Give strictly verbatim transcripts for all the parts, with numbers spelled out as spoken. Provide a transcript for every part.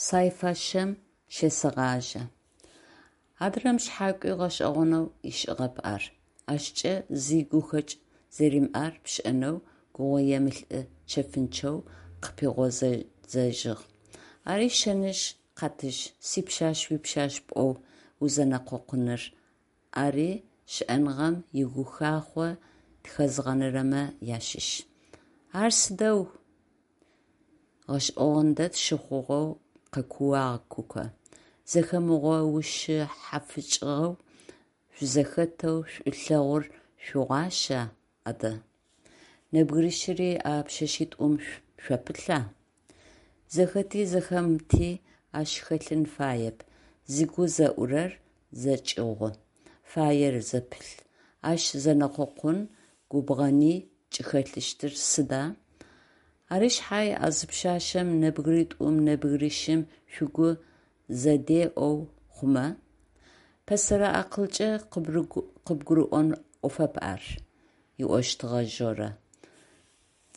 Сайфашэм щесэгъажьэ. Адрэм шъхьакӏуи гъэшӏэгъонэу ышӏыгъэп ар. Ащкӏэ зи гухэкӏ зэримыӏэр пшӏэнэу гугъуемылӏы чэфынчъэу къыпигъодзыжьыгъ: «Ари шэнышъ, Къатыжъ, сипшъашъ уипшъашъ пӏоу узэнэкъокъуныр, ари щыӏэныгъэм игухахъо тхэзгъэнырэмэ ащыщ». «Ар сыдэу?» – гъэшӏэгъон дэд щыхъугъэу къэкууагъ Куко. «Зэхэмыгъэушъхьафыкӏыгъэу шъузэхэтэу шӏулъэгъур шъугъуаща адэ? Нэбгырищыри а пшъэшъитӏум шъуапылъа?» Зэхэти зэхэмыти ащ хэлъын фаеп, зыгу зэӏурэр зэкӏыгъу, фаер зэпылъ. Ащ зэнэкъокъуи губгъэни кӏыхэлъыщтыр сыда? Ары шъхьай а зы пшъашъэм нэбгыритӏум, нэбгырищым шъугу зэдеӏэу хъумэ? Пэсэрэ акъылкӏэ къыбгурыӏон ӏофэп ар, – ыӏощтыгъэ Жорэ.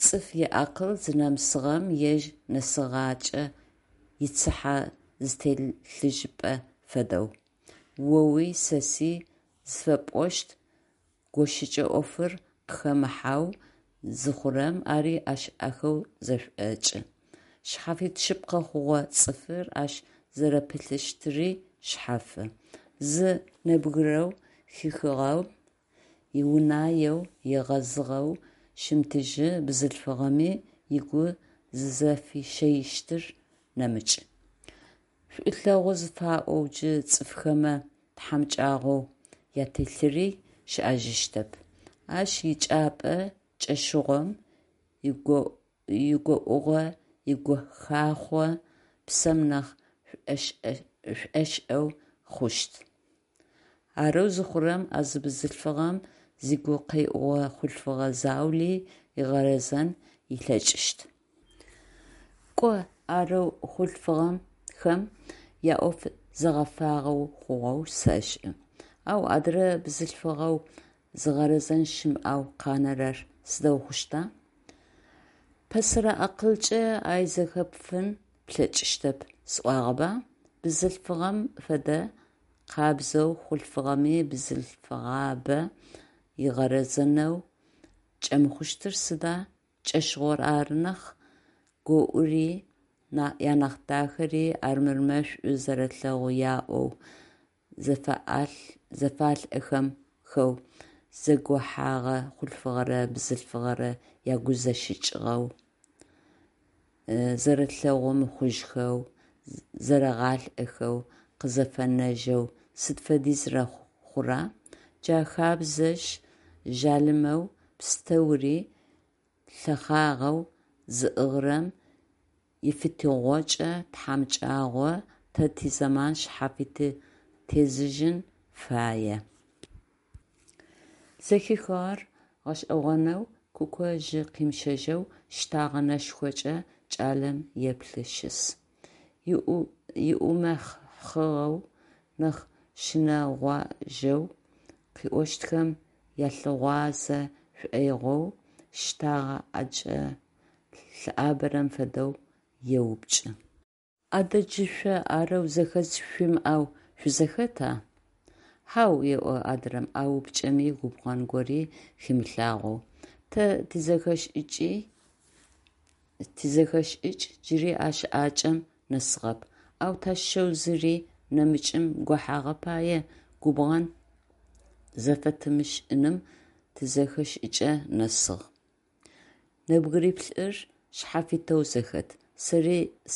Цӏыф иакъыл зынэмысыгъэм ежь нэсыгъакӏэ ицыхьэ зытелъыжьыпэ фэдэу, оуи сэси зыфэпӏощт гощыкӏэ ӏофыр къыхэмыхьэу зыхъурэм, ари ӏэшӏэхэу зэшӏокӏы. Шъхьафит шъыпкъэ хъугъэ цӏыфыр ащ зэрэпылъыщтыри шъэфы. Зы нэбгырэу хихыгъэм иунаеу, егъэзыгъэу щымытыжьы бзылъфыгъэми ыгу зызыфищэищтыр нэмыкӏ. Шӏулъэгъу зыфаӏоу джы цӏыфхэмэ тхьамыкӏагъоу ателъыри щыӏэжьыщтэп. Ащ ичӏыпӏэ кӏэщыгъом игоӏугъэ, игухахъо псэм нахь шӏошӏэу хъущт. Арэу зыхъурэм, а зы бзылъфыгъэм зыгу къеӏугъэ хъулъфыгъэ заули ыгъэрэзэн ылъэкӏыщт. Кӏо арэу хъулъфыгъэхэм яӏоф зэгъэфагъэ хъугъэу сэшӏы. Ау адырэ бзылъфыгъэу зыгъэрэзэн щымыӏэу къанэрэр сыдэу хъущта? Пэсэрэ акъылкӏэ ай зэхэпфын плъэкӏыщтэп сӏуагъэба? Бзылъфыгъэм фэдэ къабзэу хъулъфыгъэми бзылъфыгъабэ ыгъэрэзэнэу кӏэмыхъущтыр сыда, кӏэщыгъор ары нахь, гоӏури, янахь дахэри армырмэ шӏу зэрэлъэгъу яӏоу, зэфалӏэхэу зэгохьагъэ хъулъфыгъэрэ бзылъфыгъэрэ ягу зэщыкӏыгъэу, зэрэлъэгъу мыхъужьхэу, зэрэгъалӏэхэу къызэфэнэжьэу сыд фэдизрэ хъура? Джа хэбзэжъ жъалымэу пстэури лъэхъагъэу зыӏыгъырэм ифитыгъокӏэ тхьамыкӏагъо тэ тизэман шъхьафит тезыжьын фае. Зэхихыгъэр гъэшӏэгъонэу Куко жьы къимыщэжьэу щтагъэ нэшхокӏэ кӏалэм еплъы щыс. Иумэхъыгъэу, нахь щынэгъожьэу, къыӏощтхэм алъыгъуазэ шӏоигъоу, щтагъэ ӏэкӏэ лъыӏабэрэм фэдэу еупчӏы. Адэ джы шъо арэу зэхэдз шъуимыӏэу шъузэхэта? Хьау, еӏо адрэм а упчӏэми губгъэн гори химылъагъоу, тэ тизэхэшӏыкӏ джыри а щыӏакӏэм нэсыгъэп, ау тащыщэу зыри нэмыкӏым гохьагъэ пае губгъэн зэфэтымышӏыным тизэхэшӏыкӏ нэсыгъ. Нэбгыриплӏыр шъхьафитэу зэхэт,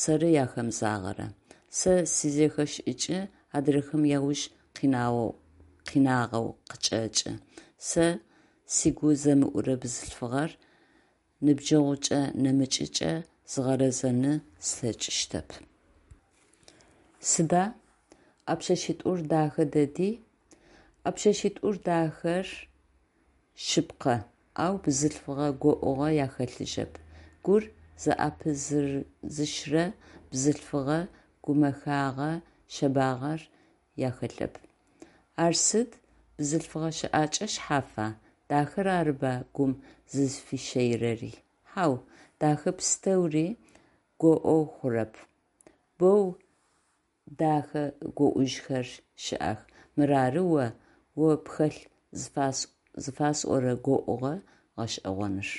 сэры ахэмызагъэрэр. Сэ сизэхэшӏыкӏ адрэхэм ауж къинагъэу къычӏэкӏы, сэ сыгу зэмыӏурэ бзылъфыгъэр ныбджэгъукӏэ нэмыкӏыкӏэ згъэрэзэны слъэкӏыщтэп. Сыда? А пшъэшъитӏур дахэ дэди. А пшъэшъитӏур дахэр шъыпкъэ, ау бзылъфыгъэ гоӏугъэ яхэлъыжьэп. Гур зыӏэпызыщрэ бзылъфыгъэ гумэхагъэ шъэбагъэр яхэлъэп. Ар сыд, бзылъфыгъэ щыӏакӏэ шъхьафа? Дахэр арыба гум зызфищэирэри? Хьау, дахэ пстэури гоӏоу хъурэп. Боу дахэ гоӀужьхэр щыӀэх, мырары о, о пхэлъ зыфасӀорэ гоӀугъэ гъэшӀэгъоныр.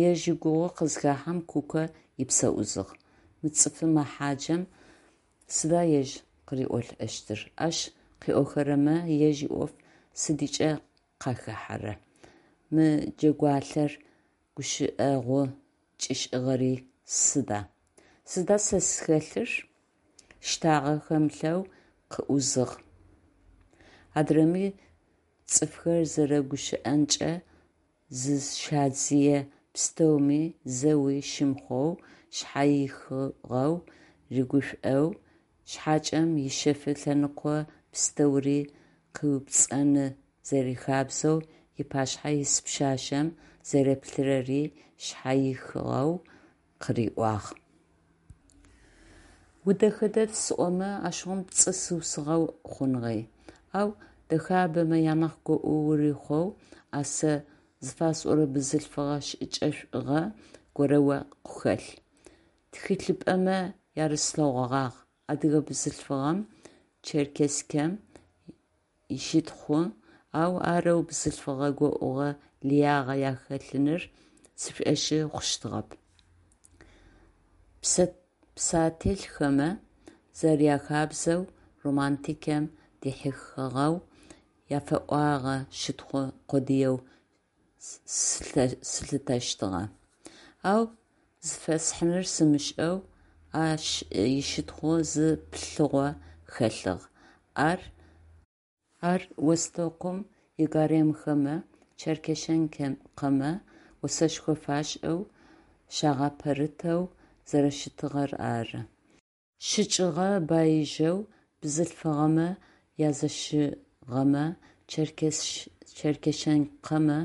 Ежь игугъу къызыхахьэм, Куко ыпсэ ӏузыгъ. Мы цӀыф мэхъаджэм сыда ежь къыриӏолӏэщтыр, ащ къыӏохэрэмэ ежь иӏоф сыдыкӏэ къахэхьэра, мы джэгуалъэр гущыӏэгъу кӏишӏыгъэри сыда? Сыда сэ схэлъыр? Щтагъэ хэмылъэу къыӏузыгъ. Адрэми цӏыфхэр зэрэгущыӏэнкӏэ зызщадзые пстэуми зэуи щымыхъоу, шъхьэихыгъэу рыгушӏоу, щыӏакӏэм ишъэф лъэныкъо пстэури къыупцӏэны зэрихабзэу ыпашъхьэ ис пшъашъэм зэреплъырэри шъхьэихыгъэу къыриӏуагъ. Удэхэ дэд сӏомэ, ащыгъум пцӏы сыусыгъэу хъуныгъи. Ау дэхабэмэ янахь гоӀу урихъоу а сэ зыфасӀорэ бзылъфыгъэ шӀыкӀэшӀугъэ горэ о пхэлъ. ТхылъыпӀэмэ ярыслъэгъогъагъ адыгэ бзылъфыгъэм, черкескэм, ищытхъу, ау арэу бзылъфыгъэ гоӀугъэ лыягъэ яхэлъыныр сшӀошъы хъущтыгъэп, псэтелъхэмэ зэряхабзэу, романтикэм дихьыхыгъэу яфэӏуагъэ щытхъу къодыеу сылъытэщтыгъэ. Ау зыфэсхьыныр сымышӏэу ащ ищытхъу зы плъыгъо хэлъыгъ, ар ар Востокым игаремхэмэ, черкешенкэмэ осэшхо фашӀэу, щагъэпэрытэу зэрэщытыгъэр ары. Щыкӏыгъэ баижьэу бзылъфыгъэмэ язэщыгъэмэ черкешенкэмэ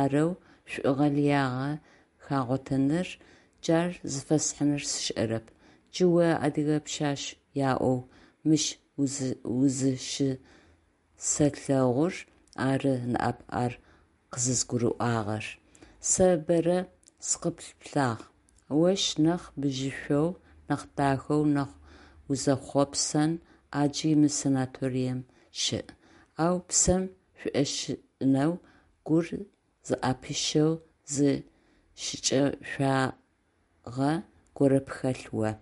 арэу шӀугъэ лыягъэ хагъотэныр, джар зыфэсхьыныр сшӀэрэп. Джы о адыгэ пшъашъ яӀоу мыщ узыщысэлъэгъур ары ныӀэп ар къызызгурыӀуагъэр. Сэ бэрэ сыкъыпплъагъ, ощ нахь бжьышъоу, нахь дахэу, нахь узэхъопсэн Ӏаджи мы санаторием щыӀ, ау псэм шӀошӀынэу, гур зыӀэпищэу зы шӀыкӀэшӀуагъэ горэ пхэлъ о.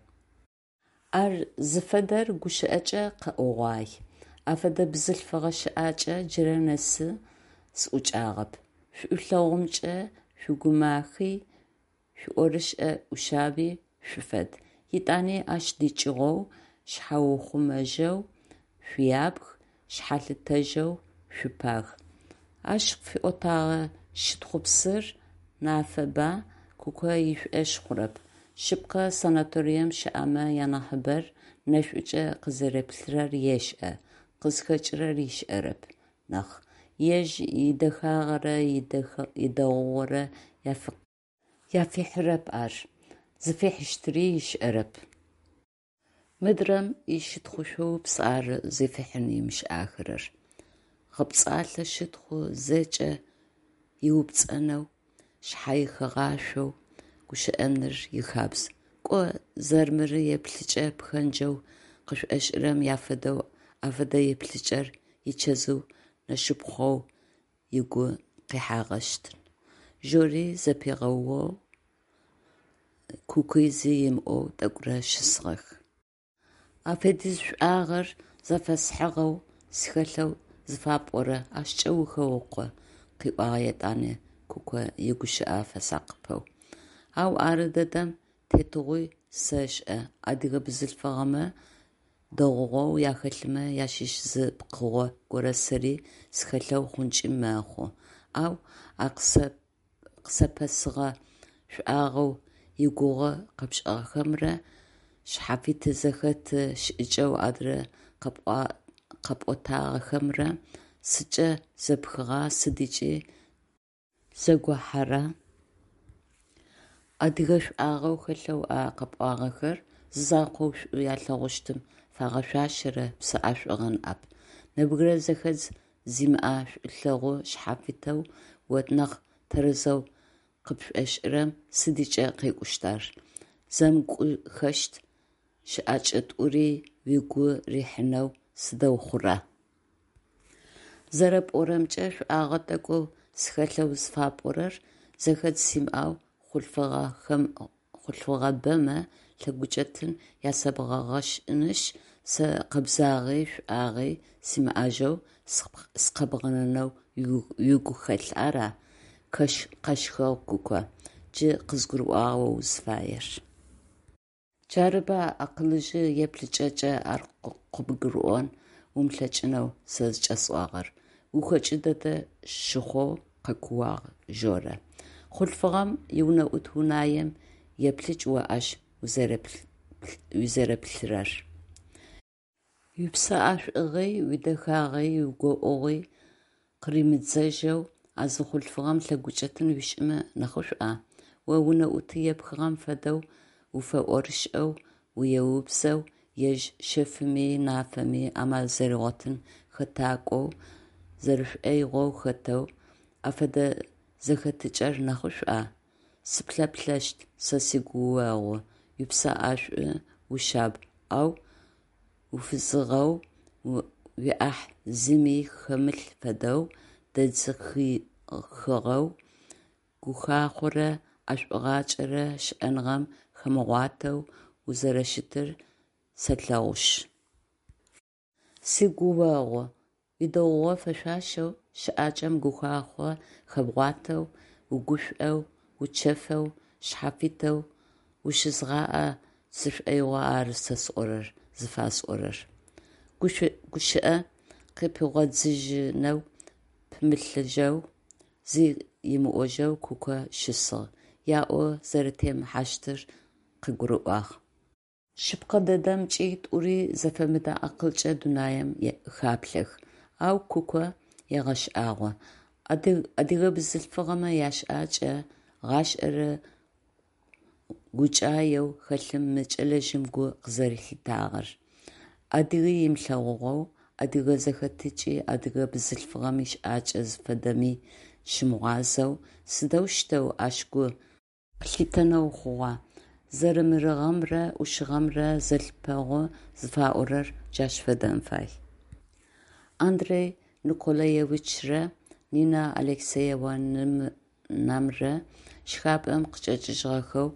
Ар зыфэдэр гущыӀэкӀэ къэӀогъуай, афэдэ бзылъфыгъэ щыӀакӀэ джырэ нэсы сыӀукӀагъэп. ШӀулъэгъумкӀэ шъугумахи, шъуиӀорышӀэ Ӏушъаби шъуфэд, етӀани ащ дыкӀыгъоу шъхьэухъумэжьэу шъуябг, шъхьалъытэжьэу шъупаг, – ащ къыфиӀотэгъэ щытхъупсыр нафэба Куко ышӀошъ хъурэп. Шъыпкъэ, санаторием щыӀэмэ янахьыбэр нэшӀукӀэ къызэреплърэр ешӀэ, къызхэкӀырэр ышӀэрэп нахь, ежь идэхагъэрэ идэгъугъэрэ афихьырэп ар, зыфихьыщтыри ышӀэрэп. Мыдрэм ищытхъу-шъоупс ары зыфихьын ымышӀахэрэр. ГъэпцӀалъэ щытхъу, зэкӀэ ыупцӀэнэу, шъхьэихыгъашъоу гущыӀэныр ихабз. КӀо, зэрмыры еплъыкӀэ пхэнджэу къышӀошӀырэм афэдэу а фэдэ еплъыкӀэр ичэзыу нэшыпхъоу ыгу къихьагъэщтын. Жори зэпигъэоу, Куки зи ымыӏоу тӀэкӀурэ щысыгъэх. А фэдиз шӀуагъэр зэфэсхьыгъэу схэлъэу зыфапӀорэ ащкӀэ ухэукъо, – къыӏуагъ етӀанэ Куко игущыӀэ фэсакъыпэу. Ау ары дэдэм тетыгъуи сэшӀэ, адыгэ бзылъфыгъэмэ дэгъугъэу ахэлъымэ ащыщ зы пкъыгъо горэ сэри схэлъэу хъункӀи мэхъу, ау а къысэпэсыгъэ шӀуагъэу игугъу къэпшӀыгъэмрэ шъхьафит зэхэт шӀыкӀэу адрэ къэпӀотагъэхэмрэ сыдкӀэ зэпхыгъа, сыдкӀи зэгохьэра? Адыгэ шӀуагъэу хэлъэу а къэпӀуагъэхэр зизакъоу шӀу алъэгъущтым фагъэшъуашэрэ псэ ӀэшӀугъэ ныӀэп. Нэбгырэ зэхэдз зимыӀэ шӀулъэгъу шъхьафитэу о нахь тэрэзэу къыпшӀошӀырэм сыдыкӀэ къекӀущт ар? ЗэмыкӀухэщт щыӏэкӏэ тӏури угу рихьынэу сыдэу хъура? Зэрэпӏорэмкӏэ, шӏуагъэ тӏэкӏоу схэлъэу зыфапӏорэр, зэхэдз симыӏэу хъулъфыгъэбэмэ лъэгукӏэтын ясэбгъэшӏынышъ, сэ къэбзагъи шӏуагъи симыӏэжьэу сыкъэбгъэнэнэу уигухэлъ, ара? Къэщхыгъ Куко. Джы къызгурыӏуагъ о узыфаер. Джарыба акъылыжъы еплъыкӏэкӏэ ар къыбгурыӏон умылъэкӏынэу сэ зыкӏэсӏуагъэр! Гухэкӏы дэдэ щыхъоу къэкууагъ Жорэ. Хъулъфыгъэм иунэӏут унаем еплъыкӏ о ащ узэреплъырэр. Уипсэӏэшӏугъи, уидэхагъи, уигоӏугъи къыримыдзэжьэу а зы хъулъфыгъэм лъэгукӏэтын уишӏымэ нахьышӏуа? О унэӏут епхыгъэм фэдэу уфэӏорышӏэу, уеубзэу, ежь шъэфыми нафэми амал зэригъотын хэтакӏоу, зэрэшӏоигъоу хэтэу, а фэдэ зэхэтыкӏэр нахьышӏуа? Сыплъэплъэщт сэ сигуогъу, упсэӏэшӏу, ушъаб, ау уфызыгъэу, уиӏахь зыми хэмылъ фэдэу, дэдзыхыгъэу, гухахъорэ ӏэшӏугъакӏэрэ щыӏэныгъэм хэмыгъуатэу узэрэщытыр сэлъэгъушъ. Сигуогъу, уидэгъугъэ фэшъуашэу щыӏакӏэм гухахъо хэбгъуатэу, угушӏоу, учэфэу, шъхьафитэу ущызгъаӏэ сшӏоигъу ары сэ сӏорэр зыфасӏорэр. Гущыӏэ къыпигъодзыжьынэу пымылъыжьэу, зи ымыӏожьэу Куко щысыгъ, яӏо зэрэтемыхьащтыр къыгурыӏуагъ. Шъыпкъэ дэдэмкӏи, тӏури зэфэмыдэ акъылкӏэ дунаим хаплъэх. Ау Куко егъэшӏагъо: адыгэ бзылъфыгъэмэ ящыӏакӏэ, гъашӏэрэ гукӏаеу хэлъым мы кӏэлэжъым гу къызэрэлъитагъэр. Адыги ымылъэгъугъэу, адыгэ зэхэтыкӏи, адыгэ бзылъфыгъэм ищыӏакӏэ зыфэдэми щымыгъуазэу, сыдэущтэу ащ гу къылъитэнэу хъугъа? Зэрэмырыгъэмрэ ӏушыгъэмрэ зэлъыпэгъу зыфаӏорэр джащ фэдэн фай. Андрей Николаевичрэ Нина Алексеевнамрэ шхапӏэм къычӏэкӏыжьыгъэхэу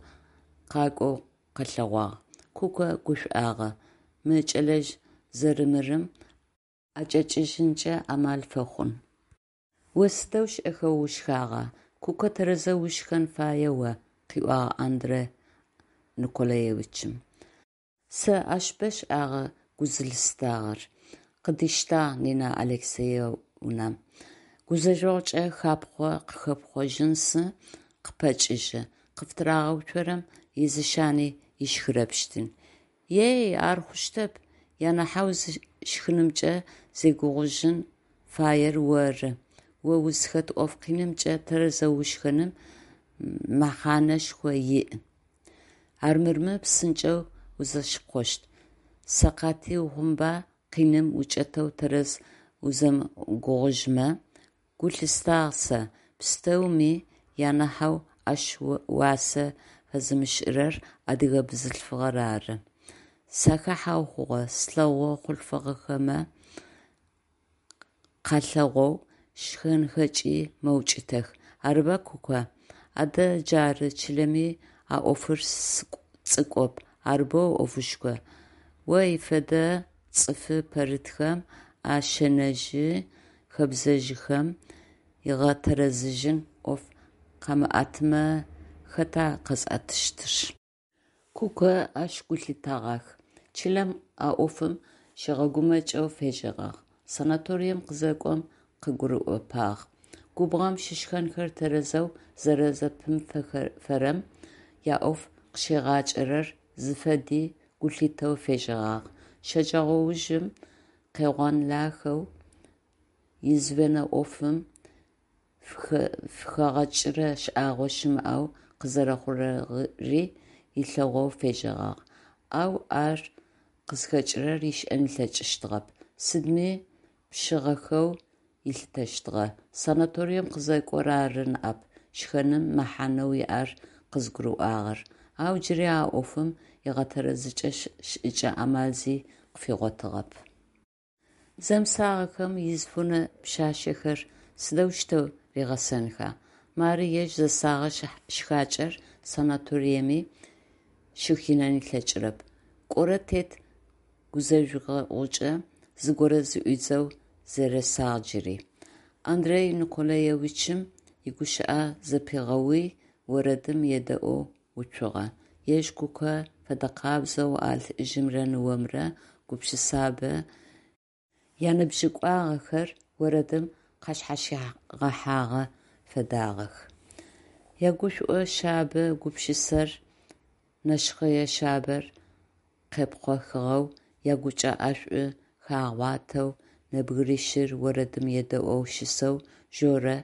къакӏоу къэлъэгъуагъ. Куко гушӏуагъэ, мы кӏэлэжъ зэрмырым ӏэкӏэкӏыжьынкӏэ амал фэхъун. О сыдэу шӏэхэу ушхагъа? Куко, тэрэзэу ушхэн фае о, – къыӏуагъ Андрей Николаевичым. Сэ ащ бэ шӏагъэ гу зылъыстагъэр, – къыдиштагъ Нина Алексеевнам. Гузэжъогъукӏэ хапхъо-къыхэпхъожьызэ къыпэкӏыжьы, къыфытырагъэуцорэм изышъани ышхырэпщтын. Ей, ар хъущтэп, анахьэу шхынымкӏэ зегугъужьын фаер оры, о узхэт ӏоф къинымкӏэ тэрэзэу ушхэным мэхьанэшхо иӏ, армырмэ псынкӏэу узэщыкъощт, сэкъати ухъунба къиным укӏэтэу тэрэз узэмыгугъужьмэ, гу лъыстагъ сэ, пстэуми анахьэу ащ уасэ фэзымышӏырэр адыгэ бзылъфыгъэр ары, сахахьэу хъугъэ, слъэгъу хъулъфыгъэмэ къалъэгъоу шхэнхэкӏи мэукӏытэх, арыба, Кука? Адэ джары, чылэми а ӏофыр цӏыкӏоп, ар боу ӏофышху, о фэдэ цӏыф пэрытхэм а шэнэжъы хэбзэжъхэм игъэтэрэзыжьын ӏоф къамыӏэтымэ, хэта къэзыӏэтыщтыр? Куко ащ гу лъитэгъах, чылэм а ӏофым щигъэгумэкӏэу фежьэгъагъ, санаторием къызэкӏом къыгурыӏопагъ. Губгъом щышхэнхэр тэрэзэу зэрэзэпимыфэрэм яӏоф къыщигъакӏэрэр зыфэди гу лъитэу фежьэгъагъ. Щэджэгъоужым къегъонлэхэу извено ӏофым фыхэгъэкӏырэ шӏагъо щымыӏэу къызэрэхъурэри ылъэгъоу фежьэгъагъ, ау ар къызхэкӏырэр ышӏэн ылъэкӏыщтыгъэп, сыдми пшъыгъэхэу ылъытэщтыгъэ. Санаторием къызэкӏор ары ныӏэп шхэным мэхьанэу иӏэр къызыгурыӏуагъэр, Ау джыри а ӏофым игъэтэрэзыкӏэ шӏыкӏэ-амал зи къыфигъотыгъэп. Зэмысагъэхэм испунэ пшъашъэхэр сыдэущтэу ригъэсэнха? Мары ежь зэсэгъэ шхакӏэр санаториеми щыхинэн ылъэкӏырэп. Кӏорэ тет гузэжъогъукӏэ зыгорэ зыӏуидзэу зэресагъ джыри. Андрей Николаевичым игущыӏэ зэпигъэуи, орэдым едэӏоу уцугъэ. Ежь Кукэ фэдэкъабзэу а лӏыжъымрэ ныомрэ гупшысабэ яныбжьыкӏуагъэхэр орэдым къашъхьащигъэхьагъэ фэдагъэх. Ягушӏо шъабэ гупшысэр, нэшхъэе шъабэр къепхъохыгъэу, ягучӏэ ӏэшӏу хагъуатэу нэбгырищыр орэдым едэӏоу щысэу Жорэ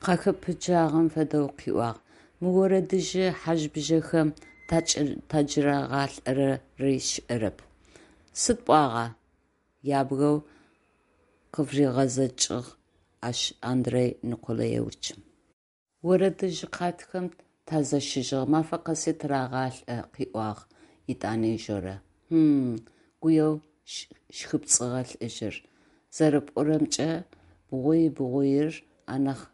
къахэпыджагъэм фэдэу къыӏуагъ: «Мы орэдыжъы хьажъ-бжьэхэм такӏырагъалӏэри сшӏэрэп». «Сыд пӏуагъа?» ябгэу къыфыригъэзэкӏыгъ ащ Андрей Николаевичым. «Орэдыжъ къатхэм тязэщыжьыгъ, мафэ къэси тырагъалӏэ», – къыӏуагъ етӏани Жорэ. «Хм-м, – гуеу щхыпцӏыгъэ лӏыжъыр, – зэрэпӏорэмкӏэ, бгъуй-бгъуир анахь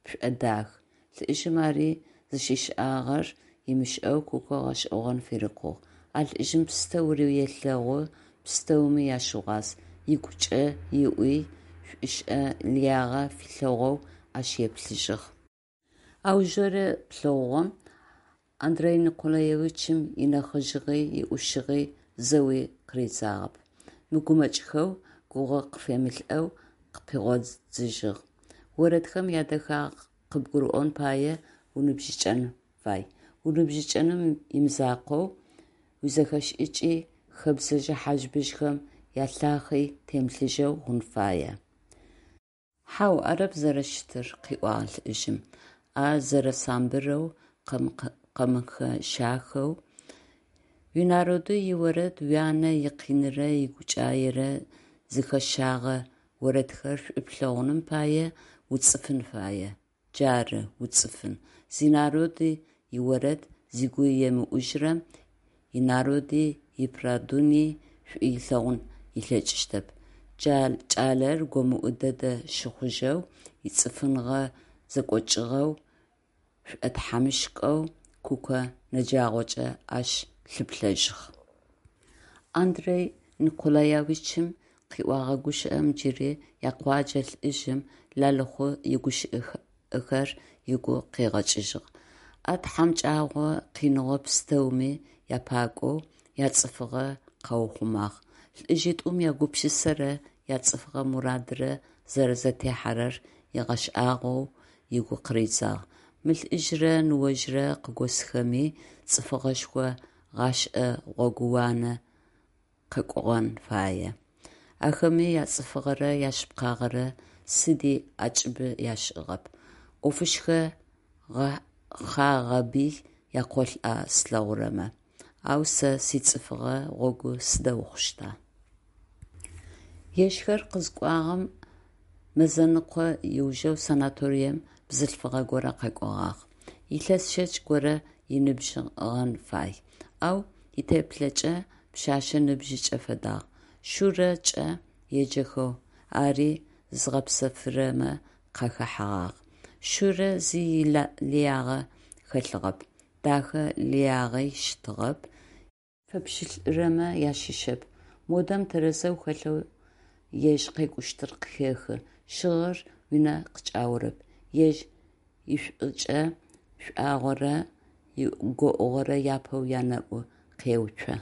пшӏодах», – лӏыжъым ари зыщишӏагъэр ымышӏэу Кукэ гъэшӏэгъон фырикъугъ. «А лӏыжъым пстэури елъэгъу, пстэуми ащыгъуаз», ыгукӏэ ыӏуи, шӏушӏэ лыягъэ филъэгъоу ащ еплъыжьыгъ. Ау Жорэ плъэгъугъэм Андрей Николаевичым инэхъыжъыгъи иӏушыгъи зэуи къыридзагъэп, мыгумэкӏхэу, гугъэ къыфемылӏэу къыпигъодзыжьыгъ: «Орэдхэм ядэхагъэ къыбгурыӏон пае уныбжьыкӏэн фай. Уныбжьыкӏэным имызакъоу, уизэхэшӏыкӏи хэбзэжъ хьажъ-быжъхэм ялъахъи темылъыжьэу хъун фае». «Хьау, арэп зэрэщытыр, – къыӏуагъ лӏыжъым, ӏэ зэрэсамбырэу, къэмыхэщахэу. – Уинароды иорэд, уянэ икъинырэ игукӏаерэ зыхэщэгъэ орэдхэр шӏу плъэгъуным пае уцӏыфын фае. Джары, уцӏыфын. Зинароды иорэд зыгу емыӏужьырэм инароди иправдыни шӏу ылъэгъун ылъэкӏыщтэп, – кӏалэр гомыӏу дэдэ щыхъужьэу, ицӏыфыгъэ зэкӏокӏыгъэу, шӏотхьамыщкӏэу Кукэ нэджагъокӏэ ащ лъыплъэжьыгъ. Андрей Николаевичым къыӏогъэ гущыӏэм джыри якъоджэ лӏыжъым, Лалыхъу игущыӏэхэр ыгу къыгъэкӏыжьыгъ. А тхьамыкӏэгъо къиныгъо пстэуми япакӏоу, яцӏыфыгъэ къаухъумагъ. Лӏыжъитӏум ягупшысэрэ яцӏыфыгъэ мурадрэ зэрэзэтехьэрэр ыгъэшӏагъоу ыгу къыридзагъ: «Мы лӏыжърэ ныожърэ къыгосхэми цӏыфыгъэшхо гъэшӏэ гъогууанэ къакӏугъэн фае. Ахэми яцӏыфыгъэрэ яшъыпкъагъэрэ сыди ӏэкӏыбы ашӏыгъэп. ӏофышхо гъэхъагъэби якъолӏа слъэгъурэмэ. Ау сэ сицӏыфыгъэ гъогу сыдэу хъущта?». Ежьхэр къызыкӏуагъэм мэзэныкъо ыужэу санаторием бзылъфыгъэ горэ къэкӏогъагъ. Илъэс щэкӏ горэ ыныбжьыгъэн фай, ау итеплъэкӏэ пшъэшъэ ныбжьыкӏэ фэдагъ. Шурэкӏэ еджэхэу ари зызгъэпсэфырэмэ къахэхьэгъагъ. Шурэ зи лыягъэ хэлъыгъэп, дэхэ лыягъи щытыгъэп, фэпщылӏырэмэ ащыщэп, модэм тэрэзэу хэлъэу ежь къекӏущтыр къыхехы, щыгъыр унэ къыкӏаорэп, ежь ишӏукӏэ шӏагъорэ игоӏугъэрэ япэу янэӏу къеуцо.